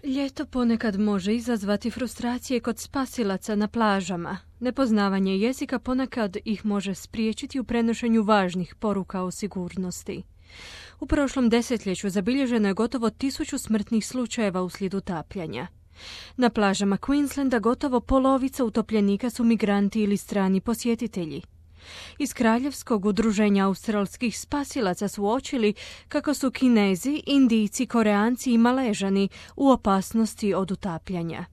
Ljeto ponekad može izazvati frustracije kod spasilaca na plažama. Nepoznavanje jezika ponekad ih može spriječiti u prenošenju važnih poruka o sigurnosti. U prošlom desetljeću zabilježeno je gotovo 1000 smrtnih slučajeva uslijed utapljanja. Na plažama Queenslanda gotovo polovica utopljenika su migranti ili strani posjetitelji. Iz Kraljevskog udruženja australskih spasilaca su uočili kako su Kinezi, Indijci, Koreanci i Maležani u opasnosti od utapljanja.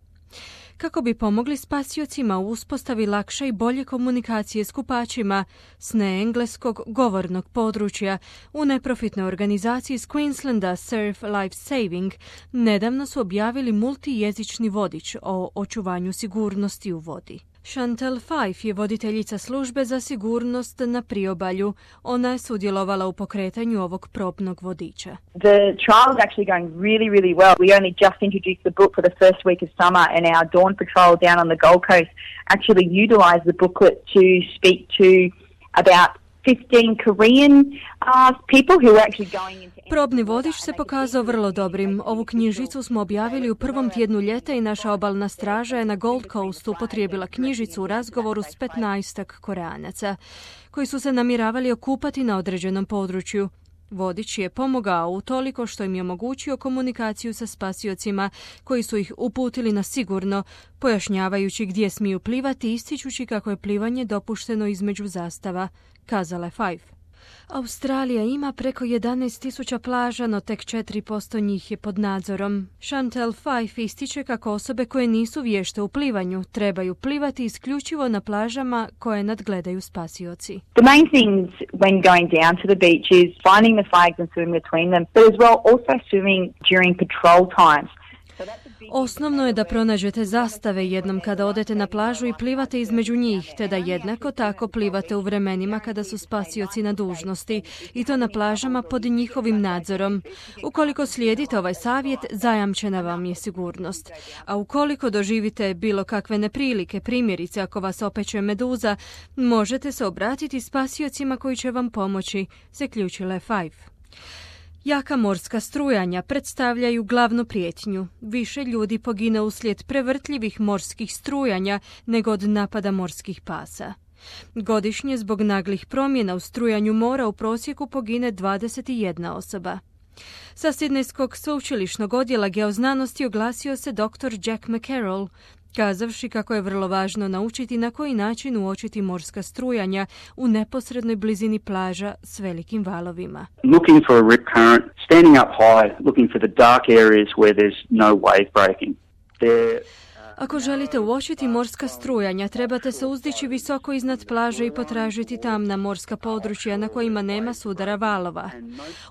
Kako bi pomogli spasiocima u uspostavi lakše i bolje komunikacije s kupačima s neengleskog govornog područja, u neprofitnoj organizaciji s Queenslanda Surf Life Saving nedavno su objavili multijezični vodič o očuvanju sigurnosti u vodi. Chantal Fife je voditeljica službe za sigurnost na priobalju. Ona je sudjelovala u pokretanju ovog probnog vodiča. The trial is actually going really, really well. We only just introduced the book for the first week of summer, and our Dawn Patrol down on the Gold Coast actually utilised the booklet to speak to about 15 Korean people who are actually going into... Probni vodič se pokazao vrlo dobrim. Ovu knjižicu smo objavili u prvom tjednu ljeta i naša obalna straža je na Gold Coastu upotrijebila knjižicu u razgovoru s 15 Koreanaca koji su se namjeravali okupati na određenom području. Vodič je pomogao utoliko što im je omogućio komunikaciju sa spasiocima koji su ih uputili na sigurno, pojašnjavajući gdje smiju plivati i ističući kako je plivanje dopušteno između zastava, kazala je Fife. Australija ima preko 11.000 plaža, no tek 4% njih je pod nadzorom. Chantal Fife ističe kako osobe koje nisu vješte u plivanju trebaju plivati isključivo na plažama koje nadgledaju spasioci. The main things when going down to the beach is finding the flags and swimming between them, but as well also swimming during patrol times. Osnovno je da pronađete zastave jednom kada odete na plažu i plivate između njih, te da jednako tako plivate u vremenima kada su spasioci na dužnosti, i to na plažama pod njihovim nadzorom. Ukoliko slijedite ovaj savjet, zajamčena vam je sigurnost. A ukoliko doživite bilo kakve neprilike, primjerice ako vas opeče meduza, možete se obratiti spasiocima koji će vam pomoći, zaključila je Fife. Jaka morska strujanja predstavljaju glavnu prijetnju. Više ljudi pogine uslijed prevrtljivih morskih strujanja nego od napada morskih pasa. Godišnje zbog naglih promjena u strujanju mora u prosjeku pogine 21 osoba. Sa Sidnejskog sveučilišnog odjela geoznanosti oglasio se dr. Jack McCarroll, kazavši kako je vrlo važno naučiti na koji način uočiti morska strujanja u neposrednoj blizini plaža s velikim valovima. Looking for a rip current, standing up high, looking for the dark areas where there's no wave breaking. Ako želite uočiti morska strujanja, trebate se uzdići visoko iznad plaže i potražiti tamna morska područja na kojima nema sudara valova.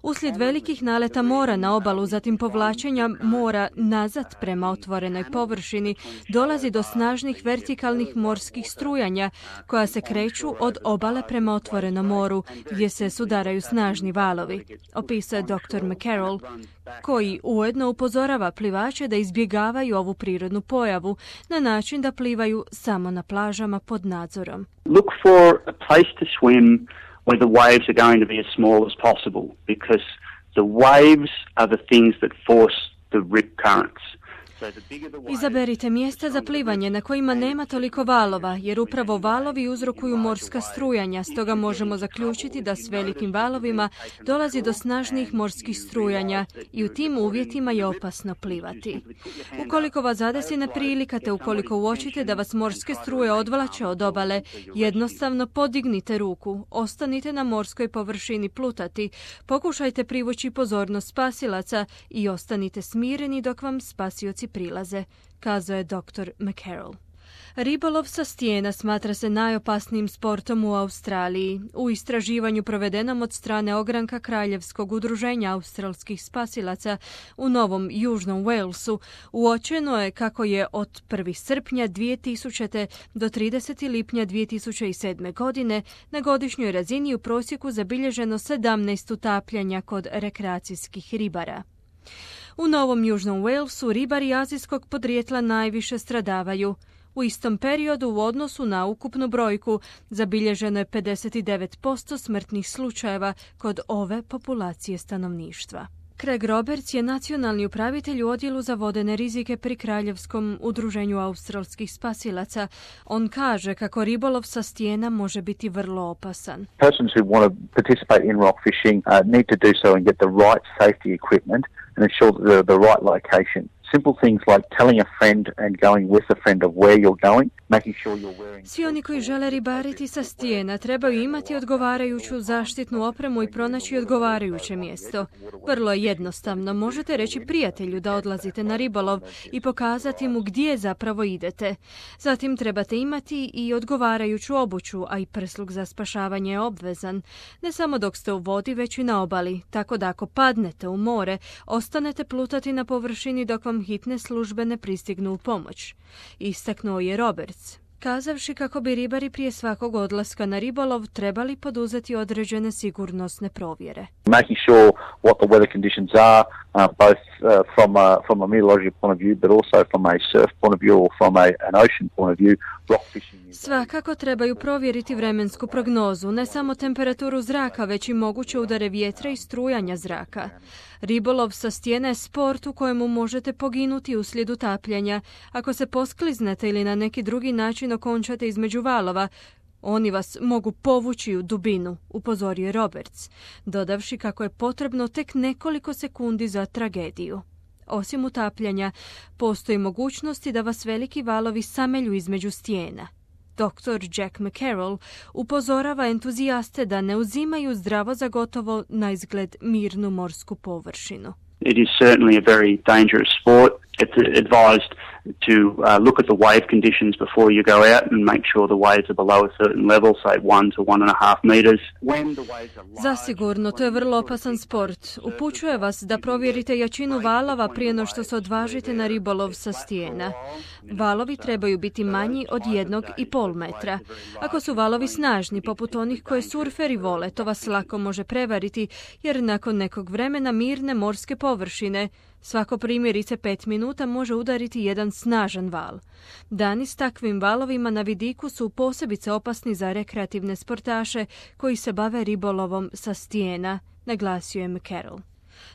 Uslijed velikih naleta mora na obalu, zatim povlačenja mora nazad prema otvorenoj površini, dolazi do snažnih vertikalnih morskih strujanja koja se kreću od obale prema otvorenom moru, gdje se sudaraju snažni valovi, opisao je dr. McCarroll, koji ujedno upozorava plivače da izbjegavaju ovu prirodnu pojavu na način da plivaju samo na plažama pod nadzorom. Look for a place to swim where the waves are going to be as small as possible, because the waves are the things that force the rip currents. Izaberite mjesta za plivanje na kojima nema toliko valova, jer upravo valovi uzrokuju morska strujanja, stoga možemo zaključiti da s velikim valovima dolazi do snažnijih morskih strujanja i u tim uvjetima je opasno plivati. Ukoliko vas zadesi neprilika te ukoliko uočite da vas morske struje odvlače od obale, jednostavno podignite ruku, ostanite na morskoj površini plutati, pokušajte privući pozornost spasilaca i ostanite smireni dok vam spasioci prilaze, kazao je dr. McCarroll. Ribolov sa stijena smatra se najopasnijim sportom u Australiji. U istraživanju provedenom od strane ogranka Kraljevskog udruženja australskih spasilaca u Novom Južnom Walesu uočeno je kako je od 1. srpnja 2000. do 30. lipnja 2007. godine na godišnjoj razini u prosjeku zabilježeno 17 utapljanja kod rekreacijskih ribara. U Novom Južnom Walesu ribari azijskog podrijetla najviše stradavaju. U istom periodu u odnosu na ukupnu brojku zabilježeno je 59% smrtnih slučajeva kod ove populacije stanovništva. Craig Roberts je nacionalni upravitelj u odjelu za vodene rizike pri Kraljevskom udruženju australskih spasilaca. On kaže kako ribolov sa stijena može biti vrlo opasan. Persons who want to participate in rock fishing need to do so and get the right safety equipment and ensure the right location. Simple things like telling a friend and going with a friend of where you're going, making sure you're wearing... Svi oni koji žele ribariti sa stijena trebaju imati odgovarajuću zaštitnu opremu i pronaći odgovarajuće mjesto. Vrlo je jednostavno. Možete reći prijatelju da odlazite na ribolov i pokazati mu gdje zapravo idete. Zatim trebate imati i odgovarajuću obuću, a i prsluk za spašavanje je obvezan. Ne samo dok ste u vodi, već i na obali, tako da ako padnete u more, ostanete plutati na površini dok vam hitne službe ne pristignu u pomoć. Istaknuo je Roberts, kazavši kako bi ribari prije svakog odlaska na ribolov trebali poduzeti određene sigurnosne provjere. Making sure what the weather conditions are, both from a meteorological point of view, but also from a surf point of view or from an ocean point of view. Svakako trebaju provjeriti vremensku prognozu, ne samo temperaturu zraka, već i moguće udare vjetra i strujanja zraka. Ribolov sa stijene je sport u kojemu možete poginuti uslijed utapljanja. Ako se poskliznete ili na neki drugi način okončate između valova, oni vas mogu povući u dubinu, upozorio je Roberts, dodavši kako je potrebno tek nekoliko sekundi za tragediju. Osim utapljanja, postoji mogućnosti da vas veliki valovi samelju između stijena. Dr. Jack McCarroll upozorava entuzijaste da ne uzimaju zdravo za gotovo na izgled mirnu morsku površinu. It is certainly a very dangerous sport. It's advised to look at the wave conditions before you go out and make sure the waves are below a certain level, say 1 to 1.5 meters. Zasigurno, to je vrlo opasan sport. Upućuje vas da provjerite jačinu valova prije no što se odvažite na ribolov sa stijena. Valovi trebaju biti manji od 1,5 metra. Ako su valovi snažni, poput onih koje surferi vole, to vas lako može prevariti, jer nakon nekog vremena mirne morske površine svako primjerice 5 minuta može udariti jedan snažan val. Dani s takvim valovima na vidiku su posebice opasni za rekreativne sportaše koji se bave ribolovom sa stijena, naglasio je McCarroll.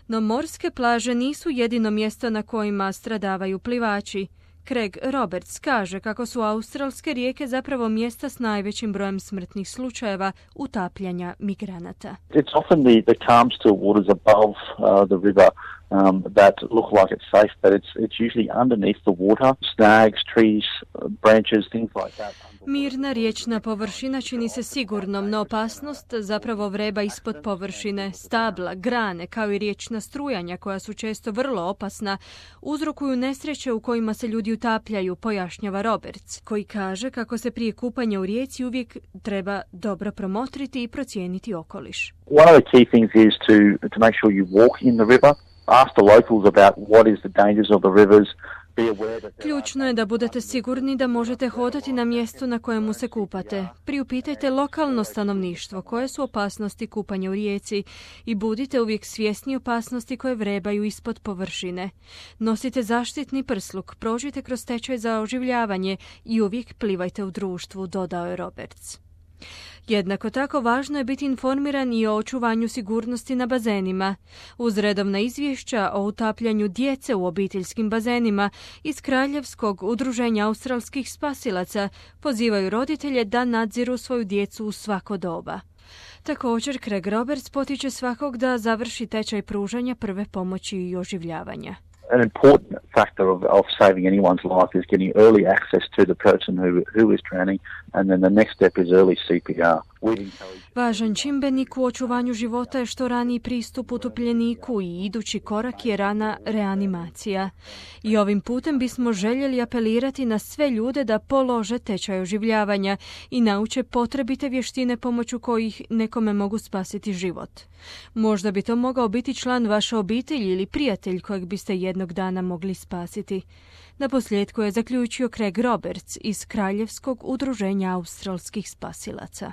No morske plaže nisu jedino mjesto na kojima stradavaju plivači. Craig Roberts kaže kako su australske rijeke zapravo mjesta s najvećim brojem smrtnih slučajeva utapljanja migranata. It's often the calm still waters above the river that look like it's safe, but it's usually underneath the water, snags, trees, branches, things like that. Mirna riječna površina čini se sigurnom, no opasnost zapravo vreba ispod površine. Stabla, grane, kao i riječna strujanja, koja su često vrlo opasna, uzrokuju nesreće u kojima se ljudi utapljaju, pojašnjava Roberts, koji kaže kako se prije kupanja u rijeci uvijek treba dobro promotriti i procijeniti okoliš. One of the key things is to make sure you walk in the river. Ask the locals about what is the dangers of the rivers. Ključno je da budete sigurni da možete hodati na mjestu na kojemu se kupate. Priupitajte lokalno stanovništvo koje su opasnosti kupanja u rijeci i budite uvijek svjesni opasnosti koje vrebaju ispod površine. Nosite zaštitni prsluk, prođite kroz tečaj za oživljavanje i uvijek plivajte u društvu, dodao je Roberts. Jednako tako važno je biti informiran i o očuvanju sigurnosti na bazenima. Uz redovna izvješća o utapljanju djece u obiteljskim bazenima iz Kraljevskog udruženja australskih spasilaca pozivaju roditelje da nadziru svoju djecu u svako doba. Također, Craig Roberts potiče svakog da završi tečaj pružanja prve pomoći i oživljavanja. An important factor of saving anyone's life is getting early access to the person who is drowning, and then the next step is early CPR. Važan čimbenik u očuvanju života je što raniji pristup utopljeniku i idući korak je rana reanimacija. I ovim putem bismo željeli apelirati na sve ljude da polože tečaj oživljavanja i nauče potrebite vještine pomoću kojih nekome mogu spasiti život. Možda bi to mogao biti član vaše obitelji ili prijatelj kojeg biste jednog dana mogli spasiti. Naposljetku je zaključio Craig Roberts iz Kraljevskog udruženja australskih spasilaca.